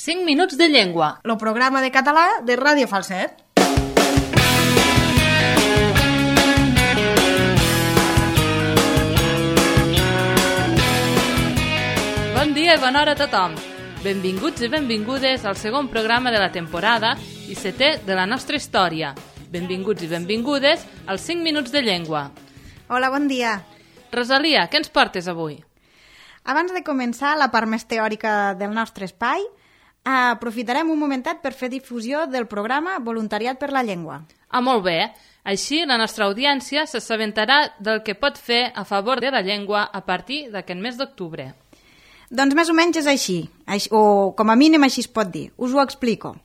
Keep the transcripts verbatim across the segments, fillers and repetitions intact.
cinc minuts de llengua. El programa de català de Ràdio Falset. Bon dia i bona hora a tothom. Benvinguts i benvingudes al segon programa de la temporada i setè de la nostra història. Benvinguts i benvingudes als cinc minuts de llengua. Hola, bon dia. Rosalia, què ens portes avui? Abans de començar la part més teòrica del nostre espai, aprofitarem un momentet per fer difusió del programa Voluntariat per la Llengua. Ah, molt bé. Així la nostra audiència s'assabentarà del que pot fer a favor de la llengua a partir d'aquest mes d'octubre. Doncs més o menys és així, o com a mínim així es pot dir. Us ho explico.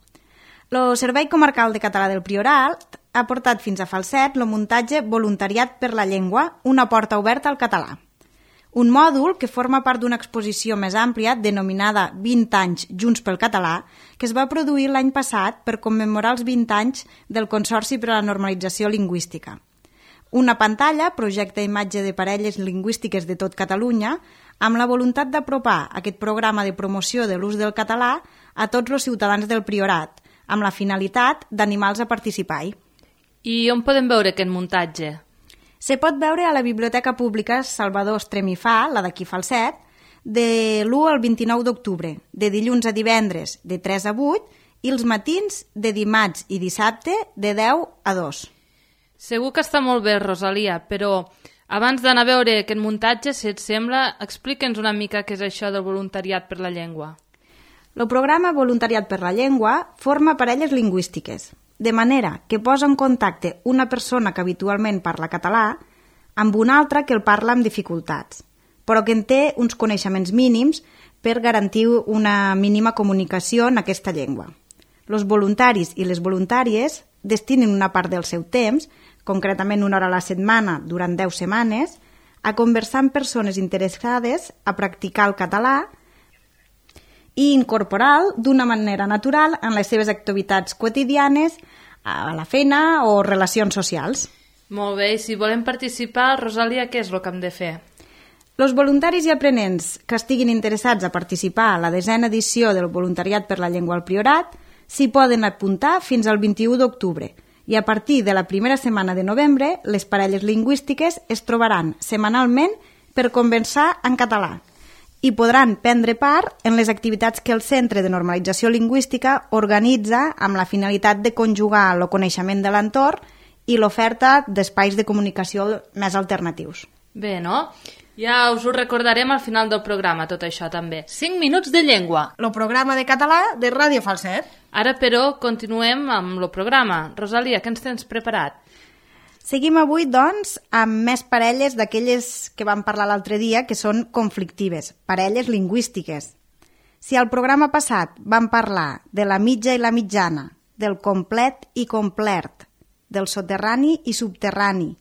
El Servei Comarcal de Català del Priorat ha portat fins a Falset el muntatge Voluntariat per la Llengua, una porta oberta al català. Un mòdul que forma part d'una exposició més àmplia denominada vint anys Junts pel Català, que es va produir l'any passat per commemorar els vint anys del Consorci per a la Normalització Lingüística. Una pantalla projecta imatge de parelles lingüístiques de tot Catalunya amb la voluntat d'apropar aquest programa de promoció de l'ús del català a tots els ciutadans del Priorat, amb la finalitat d'animar-los a participar-hi. I on podem veure aquest muntatge? Se pot veure a la Biblioteca Pública Salvador Estremifà, la d'aquí Falset, de l'u al vint-i-nou d'octubre, de dilluns a divendres de tres a vuit i els matins de dimarts i dissabte de deu a dos. Segur que està molt bé, Rosalia, però abans d'anar a veure aquest muntatge, si et sembla, explica'ns una mica què és això del voluntariat per la llengua. El programa Voluntariat per la Llengua forma parelles lingüístiques, de manera que posa en contacte una persona que habitualment parla català amb una altra que el parla amb dificultats, però que en té uns coneixements mínims per garantir una mínima comunicació en aquesta llengua. Els voluntaris i les voluntàries destinen una part del seu temps, concretament una hora a la setmana durant deu setmanes, a conversar amb persones interessades a practicar el català i incorporar-lo d'una manera natural en les seves activitats quotidianes, a la feina o relacions socials. Molt bé, i si volem participar, Rosalia, què és el que hem de fer? Els voluntaris i aprenents que estiguin interessats a participar a la desena edició del Voluntariat per la Llengua al Priorat s'hi poden apuntar fins al vint-i-u d'octubre i a partir de la primera setmana de novembre les parelles lingüístiques es trobaran setmanalment per conversar en català i podran prendre part en les activitats que el Centre de Normalització Lingüística organitza amb la finalitat de conjugar el coneixement de l'entorn i l'oferta d'espais de comunicació més alternatius. Bé, no? Ja us ho recordarem al final del programa, tot això també. cinc minuts de llengua. El programa de català de Ràdio Falset. Ara, però, continuem amb el programa. Rosalia, què ens tens preparat? Seguim avui, doncs, amb més parelles d'aquelles que vam parlar l'altre dia, que són conflictives, parelles lingüístiques. Si al programa passat vam parlar de la mitja i la mitjana, del complet i complert, del soterrani i subterrani,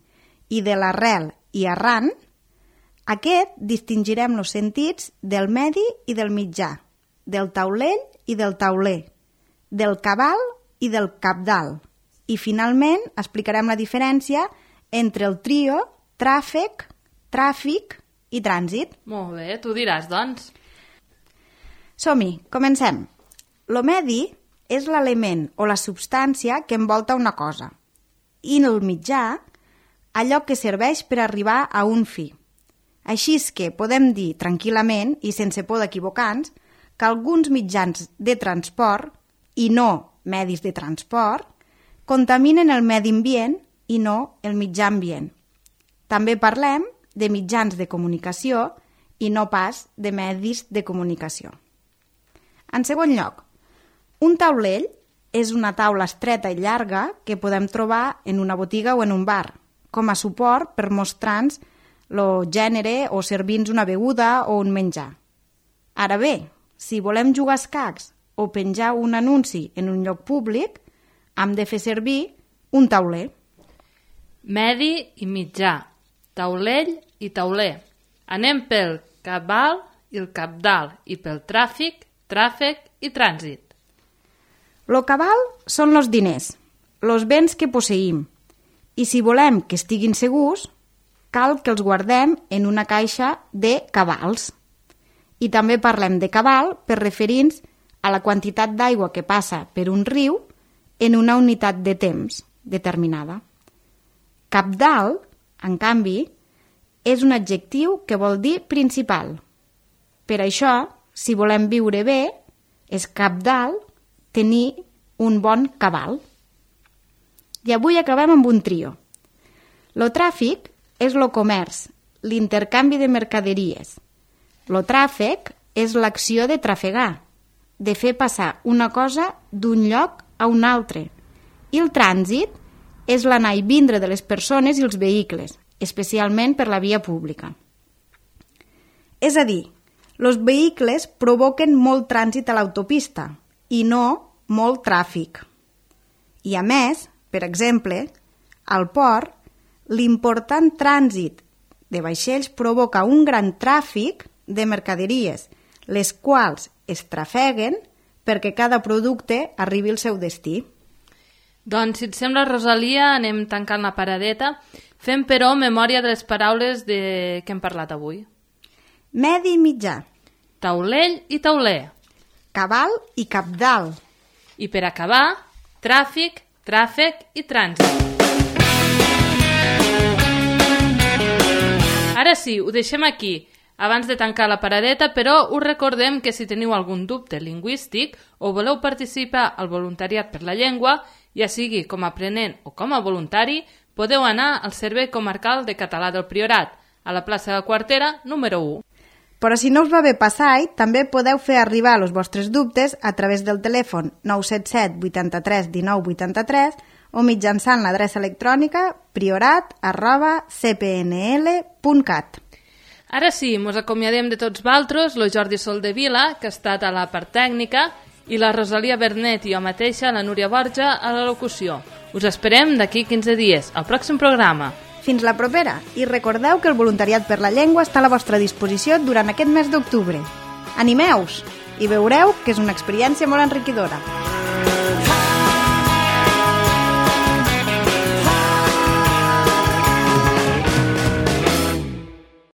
i de l'arrel i arran, aquest distingirem els sentits del medi i del mitjà, del taulell i del tauler, del cabal i del cabdal. I finalment explicarem la diferència entre el trio, tràfic, tràfic i trànsit. Molt bé, tu diràs, doncs. Som-hi, comencem. Lo medi és l'element o la substància que envolta una cosa i el mitjà, allò que serveix per arribar a un fi. Així és que podem dir tranquil·lament i sense por d'equivocar-nos que alguns mitjans de transport i no medis de transport contaminen el medi ambient i no el mitjà ambient. També parlem de mitjans de comunicació i no pas de medis de comunicació. En segon lloc, un taulell és una taula estreta i llarga que podem trobar en una botiga o en un bar, com a suport per mostrar-nos el gènere o servir-nos una beguda o un menjar. Ara bé, si volem jugar a escacs o penjar un anunci en un lloc públic, hem de fer servir un tauler. Medi i mitjà, taulell i tauler. Anem pel cabal i el cabdal i pel tràfic, tràfic i trànsit. Lo cabal són els diners, els béns que posseïm, i si volem que estiguin segurs, cal que els guardem en una caixa de cabals. I també parlem de cabal per referir-nos a la quantitat d'aigua que passa per un riu en una unitat de temps determinada. Cabdal, en canvi, és un adjectiu que vol dir principal. Per això, si volem viure bé, és cabdal tenir un bon cabal. I avui acabem amb un trio. Lo tràfic és lo comerç, l'intercanvi de mercaderies. Lo tràfec és l'acció de trafegar, de fer passar una cosa d'un lloc a un altre. I el trànsit és l'anar i vindre de les persones i els vehicles, especialment per la via pública. És a dir, els vehicles provoquen molt trànsit a l'autopista i no molt tràfic. I a més, per exemple, al port, l'important trànsit de vaixells provoca un gran tràfic de mercaderies, les quals es trafeguen perquè cada producte arribi al seu destí. Doncs, si et sembla, Rosalia, anem tancant la paradeta. Fem, però, memòria de les paraules de... que hem parlat avui. Medi mitjà. Taulell i tauler. Cabal i cabdal. I per acabar, tràfic, tràfec i trànsit. Ara sí, ho deixem aquí, abans de tancar la paradeta, però us recordem que si teniu algun dubte lingüístic o voleu participar al voluntariat per la llengua, ja sigui com a aprenent o com a voluntari, podeu anar al Servei Comarcal de Català del Priorat, a la plaça de Quartera, número u. Però si no us va bé passar, també podeu fer arribar els vostres dubtes a través del telèfon nou set set vuitanta-tres dinou vuitanta-tres o mitjançant l'adreça electrònica priorat arroba c p n l punt cat. Ara sí, mos acomiadem de tots valtros, lo Jordi Soldevila, que ha estat a la part tècnica, i la Rosalia Bernet i jo mateixa, la Núria Borja, a la locució. Us esperem d'aquí quinze dies, al pròxim programa. Fins la propera, i recordeu que el voluntariat per la llengua està a la vostra disposició durant aquest mes d'octubre. Animeu-vos i veureu que és una experiència molt enriquidora.